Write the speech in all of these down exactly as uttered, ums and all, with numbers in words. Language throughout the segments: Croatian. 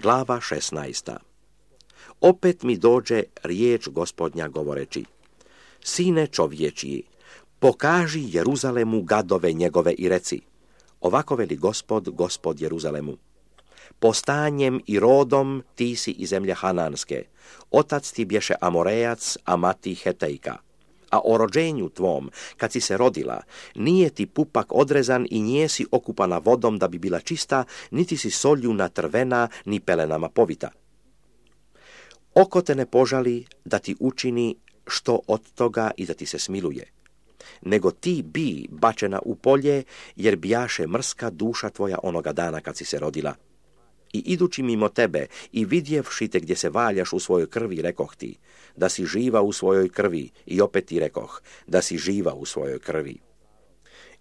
Glava šesnaesta. Opet mi dođe riječ Gospodnja govoreći: Sine čovječji, pokaži Jeruzalemu gadove njegove i reci: ovako veli Gospod, Gospod Jeruzalemu. Po stanjem i rodom ti si iz zemlje Hananske, otac ti bješe Amorejac, a mati Hetejka. A o rođenju tvom, kad si se rodila, nije ti pupak odrezan i nije si okupana vodom da bi bila čista, niti si solju natrvena, ni pelenama povita. Oko te ne požali da ti učini što od toga i da ti se smiluje, nego ti bi bačena u polje, jer bijaše mrska duša tvoja onoga dana kad si se rodila. I idući mimo tebe i vidjevši te gdje se valjaš u svojoj krvi, rekoh ti da si živa u svojoj krvi, i opet ti rekoh da si živa u svojoj krvi.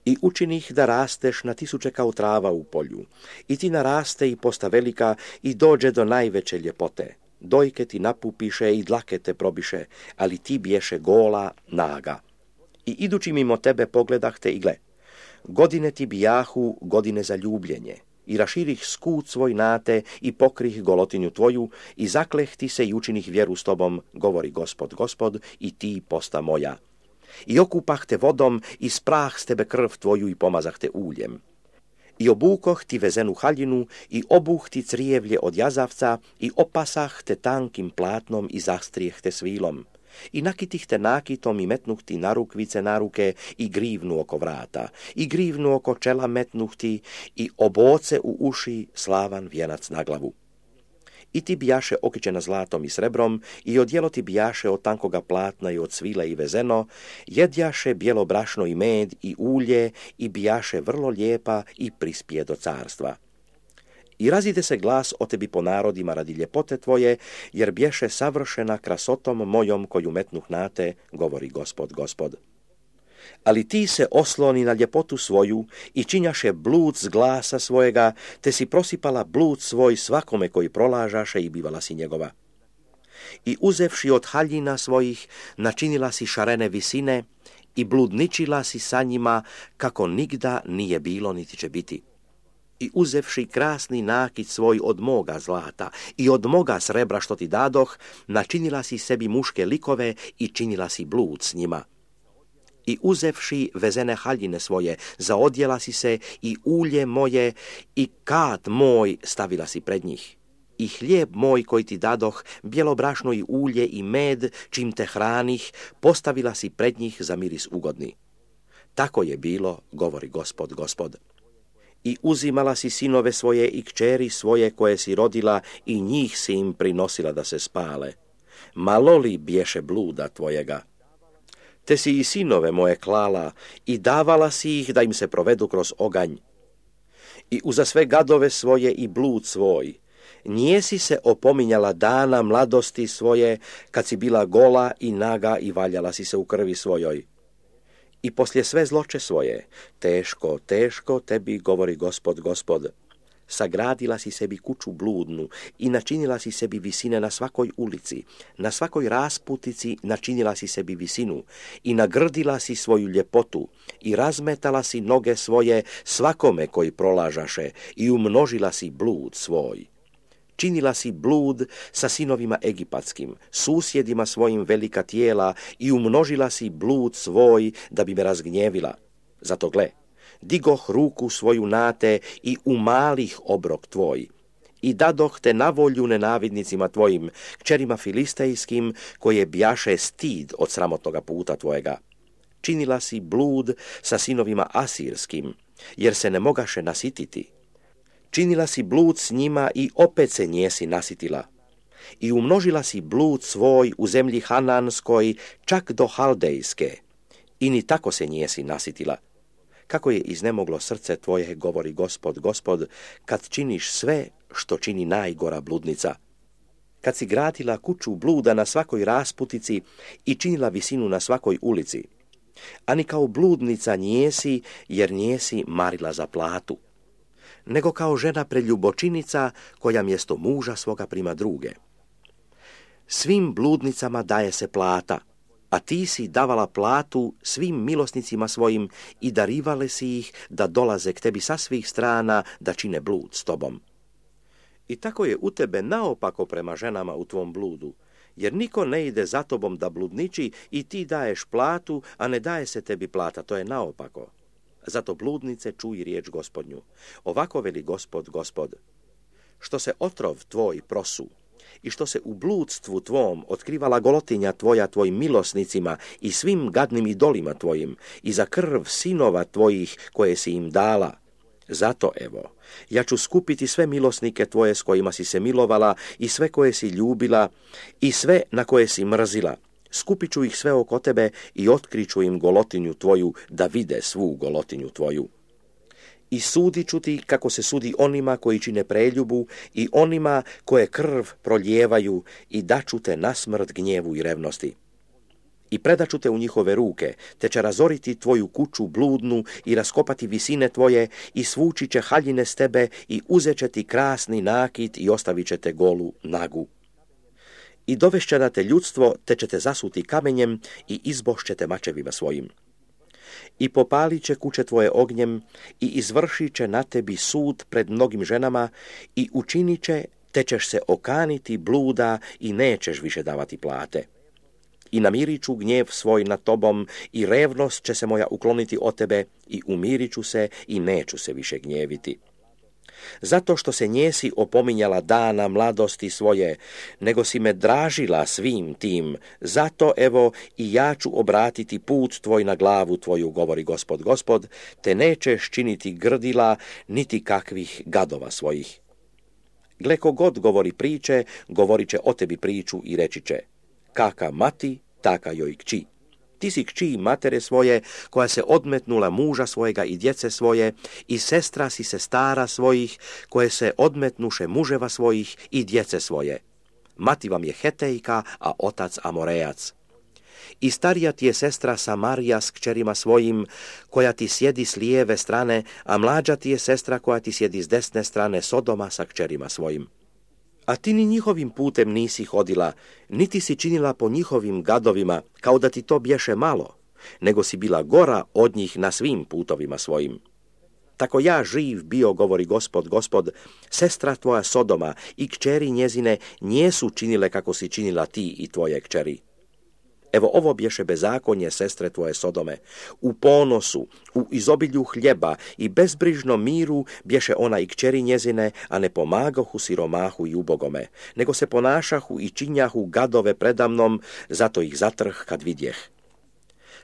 I učinih da rasteš na tisuće kao trava u polju, i ti naraste i posta velika i dođe do najveće ljepote. Dojke ti napupiše i dlake te probiše, ali ti biješe gola, naga. I idući mimo tebe pogledah te i gle, godine ti bijahu godine za ljubljenje, i raširih skut svoj nate i pokrih golotinju tvoju, i zakleh ti se i učinih vjeru s tobom, govori Gospod, Gospod, i ti posta moja. I okupah te vodom i sprah s tebe krv tvoju i pomazah te uljem. I obukoh ti vezenu haljinu i obuh ti crijevlje od jazavca i opasah te tankim platnom i zastrijeh te svilom. I nakitih te nakitom i metnuh ti narukvice na ruke i grivnu oko vrata, i grivnu oko čela metnuh ti i oboce u uši slavan vijenac na glavu. I ti bijaše okićena zlatom i srebrom, i odjelo ti bijaše od tankoga platna i od svile i vezeno, jedjaše bijelo brašno i med i ulje, i bijaše vrlo lijepa i prispije do carstva. I razide se glas o tebi po narodima radi ljepote tvoje, jer bješe savršena krasotom mojom koju metnuh na te, govori Gospod, Gospod. Ali ti se osloni na ljepotu svoju i činjaše blud s glasa svojega, te si prosipala blud svoj svakome koji prolažaše i bivala si njegova. I uzevši od haljina svojih, načinila si šarene visine i bludničila si sa njima kako nigda nije bilo niti će biti. I uzevši krasni nakit svoj od moga zlata i od moga srebra što ti dadoh, načinila si sebi muške likove i činila si blud s njima. I uzevši vezene haljine svoje, zaodjela si se i ulje moje i kat moj stavila si pred njih. I hlijeb moj koji ti dadoh, bijelo brašno i ulje i med, čim te hranih, postavila si pred njih za miris ugodni. Tako je bilo, govori Gospod, Gospod. I uzimala si sinove svoje i kćeri svoje koje si rodila i njih si im prinosila da se spale. Malo li bješe bluda tvojega? Te si i sinove moje klala i davala si ih da im se provedu kroz oganj. I uza sve gadove svoje i blud svoj, nije si se opominjala dana mladosti svoje, kad si bila gola i naga i valjala si se u krvi svojoj. I poslije sve zloče svoje, teško, teško tebi, govori Gospod, Gospod, sagradila si sebi kuću bludnu i načinila si sebi visine na svakoj ulici, na svakoj rasputici načinila si sebi visinu i nagrdila si svoju ljepotu i razmetala si noge svoje svakome koji prolažaše i umnožila si blud svoj. Činila si blud sa sinovima egipatskim, susjedima svojim velika tijela i umnožila si blud svoj da bi me razgnjevila. Zato gle, digoh ruku svoju na te i umalih obrok tvoj. I dadoh te na volju nenavidnicima tvojim, kćerima filistejskim, koje bjaše stid od sramotnoga puta tvojega. Činila si blud sa sinovima asirskim, jer se ne mogaše nasititi. Činila si blud s njima i opet se njesi nasitila. I umnožila si blud svoj u zemlji Hananskoj čak do Haldejske. I ni tako se njesi nasitila. Kako je iznemoglo srce tvoje, govori Gospod, Gospod, kad činiš sve što čini najgora bludnica. Kad si gradila kuću bluda na svakoj rasputici i činila visinu na svakoj ulici. A ni kao bludnica njesi, jer njesi marila za platu, nego kao žena preljubočinica koja mjesto muža svoga prima druge. Svim bludnicama daje se plata, a ti si davala platu svim milosnicima svojim i darivale si ih da dolaze k tebi sa svih strana da čine blud s tobom. I tako je u tebe naopako prema ženama u tvom bludu, jer niko ne ide za tobom da bludniči i ti daješ platu, a ne daje se tebi plata, to je naopako. Zato bludnice čuj riječ Gospodnju. Ovako veli Gospod, Gospod, što se otrov tvoj prosu i što se u bludstvu tvom otkrivala golotinja tvoja tvojim milosnicima i svim gadnim idolima tvojim i za krv sinova tvojih koje si im dala, zato evo, ja ću skupiti sve milosnike tvoje s kojima si se milovala i sve koje si ljubila i sve na koje si mrzila. Skupit ću ih sve oko tebe i otkriću im golotinju tvoju da vide svu golotinju tvoju. I sudit ću ti kako se sudi onima koji čine preljubu i onima koje krv prolijevaju i daću te na smrt gnjevu i revnosti. I predaću te u njihove ruke, te će razoriti tvoju kuću bludnu i raskopati visine tvoje i svući će haljine s tebe i uzet će ti krasni nakit i ostavit će te golu nagu. I dovešće na te ljudstvo, te će te zasuti kamenjem i izbošće te mačevima svojim. I popalit će kuće tvoje ognjem i izvršit će na tebi sud pred mnogim ženama i učinit će, te ćeš se okaniti bluda i nećeš više davati plate. I namirit ću gnjev svoj nad tobom i revnost će se moja ukloniti od tebe i umirit ću se i neću se više gnjeviti. Zato što se njesi opominjala dana mladosti svoje, nego si me dražila svim tim, zato evo i ja ću obratiti put tvoj na glavu tvoju, govori Gospod, Gospod, te nećeš činiti grdila niti kakvih gadova svojih. Gle ko god govori priče, govorit će o tebi priču i reći će, kaka mati, taka joj kći. Ti si kći matere svoje, koja se odmetnula muža svojega i djece svoje, i sestra si se stara svojih, koje se odmetnuše muževa svojih i djece svoje. Mati vam je Hetejka, a otac Amorejac. I starija ti je sestra Samarija s kćerima svojim, koja ti sjedi s lijeve strane, a mlađa ti je sestra koja ti sjedi s desne strane, Sodoma sa kćerima svojim. A ti ni njihovim putem nisi hodila, niti si činila po njihovim gadovima, kao da ti to bješe malo, nego si bila gora od njih na svim putovima svojim. Tako ja živ bio, govori Gospod, Gospod, sestra tvoja Sodoma i kćeri njezine njesu činile kako si činila ti i tvoje kćeri. Evo ovo bješe bezakonje sestre tvoje Sodome. U ponosu, u izobilju hljeba i bezbrižnom miru bješe ona i kćeri njezine, a ne pomagahu siromahu i ubogome, nego se ponašahu i činjahu gadove predamnom, zato ih zatrh kad vidjeh.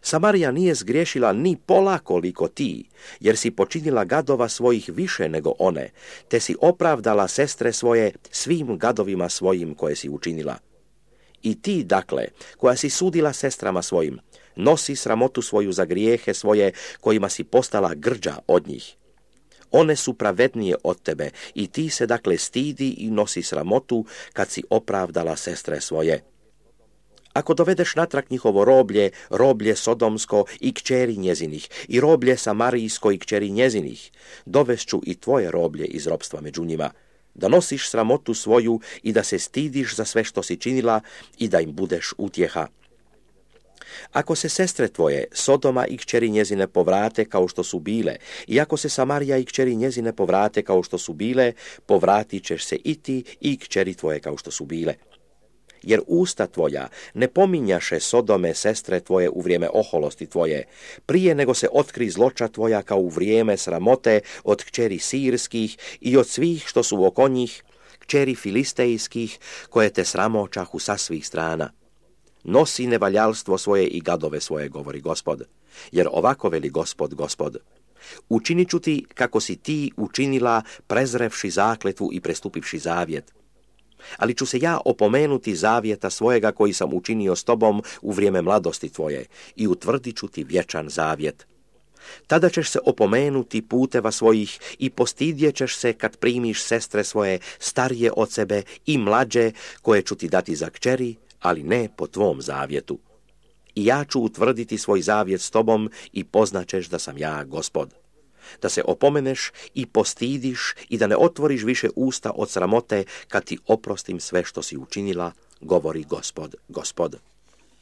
Samarija nije zgriješila ni pola koliko ti, jer si počinila gadova svojih više nego one, te si opravdala sestre svoje svim gadovima svojim koje si učinila. I ti, dakle, koja si sudila sestrama svojim, nosi sramotu svoju za grijehe svoje, kojima si postala grđa od njih. One su pravednije od tebe i ti se, dakle, stidi i nosi sramotu kad si opravdala sestre svoje. Ako dovedeš natrag njihovo roblje, roblje sodomsko i kćeri njezinih, i roblje samarijsko i kćeri njezinih, dovešću i tvoje roblje iz ropstva među njima, da nosiš sramotu svoju i da se stidiš za sve što si činila i da im budeš utjeha. Ako se sestre tvoje, Sodoma i kćeri njezine povrate kao što su bile, i ako se Samarija i kćeri njezine povrate kao što su bile, povratit ćeš se i ti i kćeri tvoje kao što su bile. Jer usta tvoja ne pominjaše Sodome sestre tvoje u vrijeme oholosti tvoje, prije nego se otkri zloča tvoja kao u vrijeme sramote od kćeri sirskih i od svih što su oko njih, kćeri filistejskih, koje te sramočahu sa svih strana. Nosi nevaljalstvo svoje i gadove svoje, govori Gospod, jer ovako veli Gospod, Gospod. Učinit ću ti kako si ti učinila, prezrevši zakletvu i prestupivši zavjet. Ali ću se ja opomenuti zavjeta svojega koji sam učinio s tobom u vrijeme mladosti tvoje i utvrdit ću ti vječan zavjet. Tada ćeš se opomenuti puteva svojih i postidjet ćeš se kad primiš sestre svoje starije od sebe i mlađe koje ću ti dati za kćeri, ali ne po tvom zavjetu. I ja ću utvrditi svoj zavjet s tobom i poznaćeš da sam ja Gospod. Da se opomeneš i postidiš i da ne otvoriš više usta od sramote kad ti oprostim sve što si učinila, govori Gospod, Gospod.